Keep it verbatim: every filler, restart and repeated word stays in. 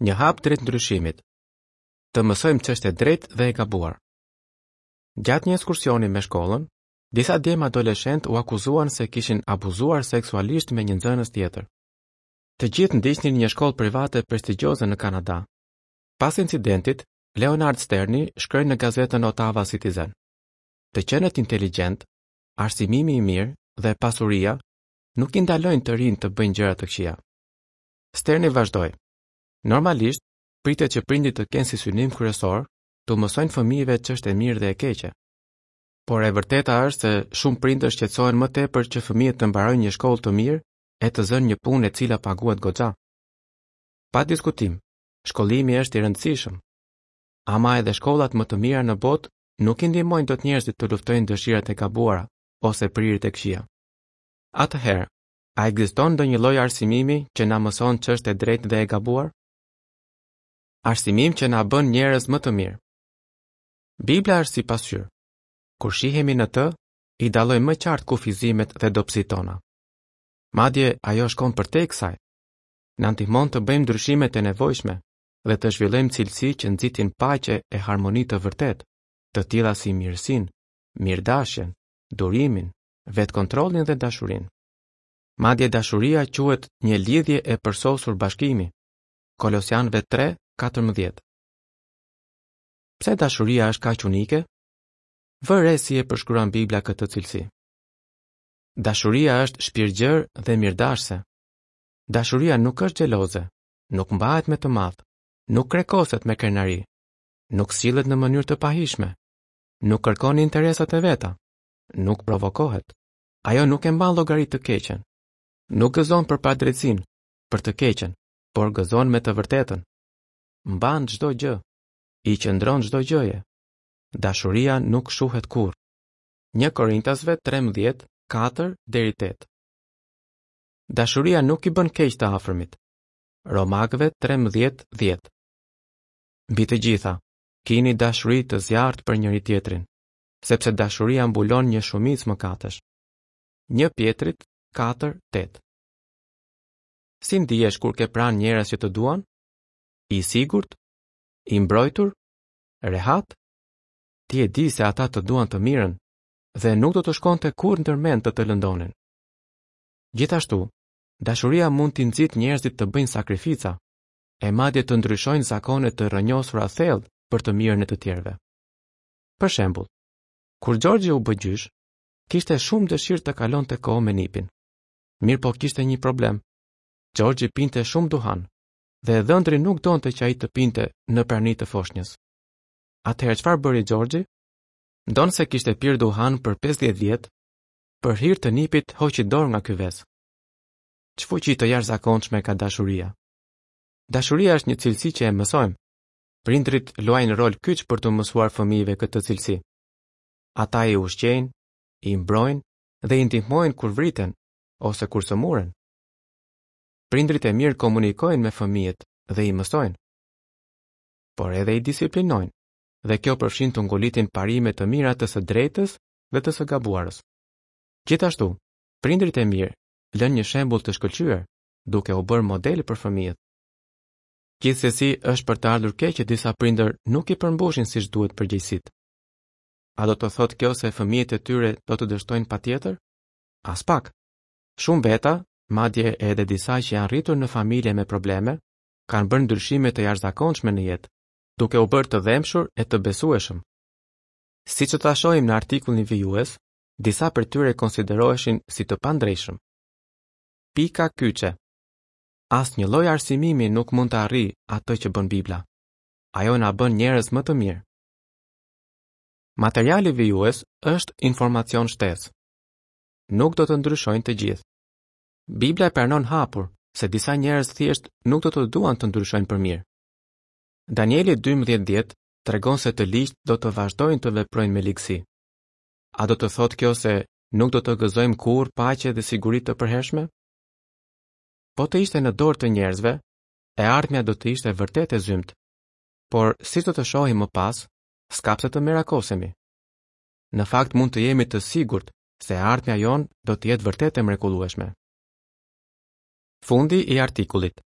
Një hap drejt ndryshimit. Të mësojmë ç'është e drejtë dhe e gabuar. Gjatë një ekskursioni me shkollën, disa djem adoleshentë u akuzuan se kishin abuzuar seksualisht me një nxënës tjetër. Të gjithë ndiqnin një shkollë private prestigjioze në Kanada. Pas incidentit, Leonard Sterni shkroi në gazetën Ottawa Citizen: Të qenët inteligjent, arsimimi i mirë dhe pasuria nuk i ndalojnë të rinjtë të bëjnë gjëra të këqija. Sterni vazhdoi: Normalisht, pritet që prindit të kenë si synim kryesor t'u mësojnë fëmijëve ç'është e mirë dhe e keqe. Por e vërteta është se shumë prindër shqetësohen më tepër që fëmijët të mbarojnë një shkollë të mirë e të zënë një punë e cila paguhet goxha. Pa diskutim, shkollimi është i rëndësishëm. Ama edhe shkollat më të mira në botë nuk i ndihmojnë dot njerëzit të luftojnë dëshirat e gabuara ose prirjet e këqija. Atëherë, a ekziston ndonjë lloj arsimimi që na mëson ç'është e drejtë dhe e gabuar? Arsimim që na bën njerëz më të mirë. Bibla është si pasqyrë. Kur shihemi në të, i dallojmë më qartë kufizimet dhe dobësitë tona. Madje ajo shkon përtej kësaj. Na ndihmon të bëjmë ndryshimet e nevojshme dhe të zhvillojmë cilësi që nxitin paqe e harmoni të vërtetë, të tilla si mirësinë, mirëdashjen, durimin, vetkontrollin dhe dashurinë. Madje dashuria quhet një lidhje e përsosur bashkimi. Kolosianëve tre, katërmbëdhjetë. Pse dashuria është kaq unike? Vë re si e përshkruan Bibla këtë cilësi. Dashuria është shpirtgjër dhe mirëdashëse. Dashuria nuk është xheloze, nuk mbahet me të madh, nuk krekoset me krenari, nuk sillet në mënyrë të pahishme, nuk kërkon interesat e veta, nuk provokohet. Ajo nuk e mban llogari të keqen, nuk gëzon për padrejtësinë, për të keqen, por gëzon me të vërtetën. Mban çdo gjë, i qëndron çdo gjëje. Dashuria nuk shuhet kurrë. Një Korintasve trembëdhjetë, katër deri tetë. Dashuria nuk i bën keq të afërmit. Romakëve trembëdhjetë, dhjetë. Mbi të gjitha, kini dashuri të zjarrtë për njëri tjetrin, sepse dashuria mbulon një shumicë mëkatesh. Një Pjetrit katër, tetë. Si ndihesh kur ke pranë njerëz që të duan? I sigurt? I mbrojtur? Rehat? Ti e di se ata të duan të mirën dhe nuk do të shkonte kurrë ndërmend të të lëndonin. Gjithashtu, dashuria mund t'i nxitë njerëzit të bëjnë sakrifica, e madje të ndryshojnë zakone të rrënjosura thellë për të mirën e të tjerëve. Për shembull, kur Gjorgji u bë gjysh, kishte shumë dëshirë të kalonte kohë me nipin. Mirë po kishte një problem. Gjorgji pinte shumë duhan dhe dhëndri nuk donte që ai të pinte në prani të foshnjës. Atëherë çfarë bëri Gjorgji? Ndonëse kishte pirë duhan për pesëdhjetë vjet, për hir të nipit hoqi dorë nga ky ves. Ç'fuqi të jashtëzakonshme ka dashuria. Dashuria është një cilësi që e mësojmë. Prindrit luajnë rol kyç për t'u mësuar fëmijëve këtë cilësi. Ata i ushqejnë, i mbrojnë dhe i ndihmojnë kur vriten ose kur sëmuren. Prindrit e mirë komunikojnë me fëmijët dhe i mësojnë, por edhe i disiplinojnë, dhe kjo përfshin të ngulitin parime të mira të së drejtës dhe të së gabuarës. Gjithashtu, prindrit e mirë lënë një shembull të shkëlqyer, duke u bërë model për fëmijët. Gjithsesi, është për të ardhur keq që disa prindër nuk i përmbushin siç duhet përgjegjësitë. A do të thotë kjo se fëmijët e tyre do të dështojnë patjetër? Aspak. Shumë veta, madje edhe disa që janë rritur në familje me probleme, kanë bërë ndryshime të jashtëzakonshme në jetë, duke u bërë të dhembshur e të besueshëm. Siç do ta shohim në artikullin vijues, disa prej tyre konsideroheshin si të pandrejshëm. Pika kyçe. Asnjë lloj arsimimi nuk mund të arrijë atë që bën Bibla. Ajo na bën njerëz më të mirë. Materiali vijues është informacion shtesë. Nuk do të ndryshojnë të gjithë. Bibla e pranon hapur se disa njerëz thjesht nuk do të duan të ndryshojnë për mirë. Danieli dymbëdhjetë dhjetë tregon se të ligjtë do të vazhdojnë të veprojnë me ligësi. A do të thotë kjo se nuk do të gëzojmë kurrë paqe dhe siguri të përhershme? Po të ishte në dorë të njerëzve, e ardhmja do të ishte vërtet e zymtë. Por, siç do të shohim më pas, s'ka pse të merakosemi. Në fakt mund të jemi të sigurt se e ardhmja jonë do të jetë vërtet e mrekullueshme. Fundi i artikullit.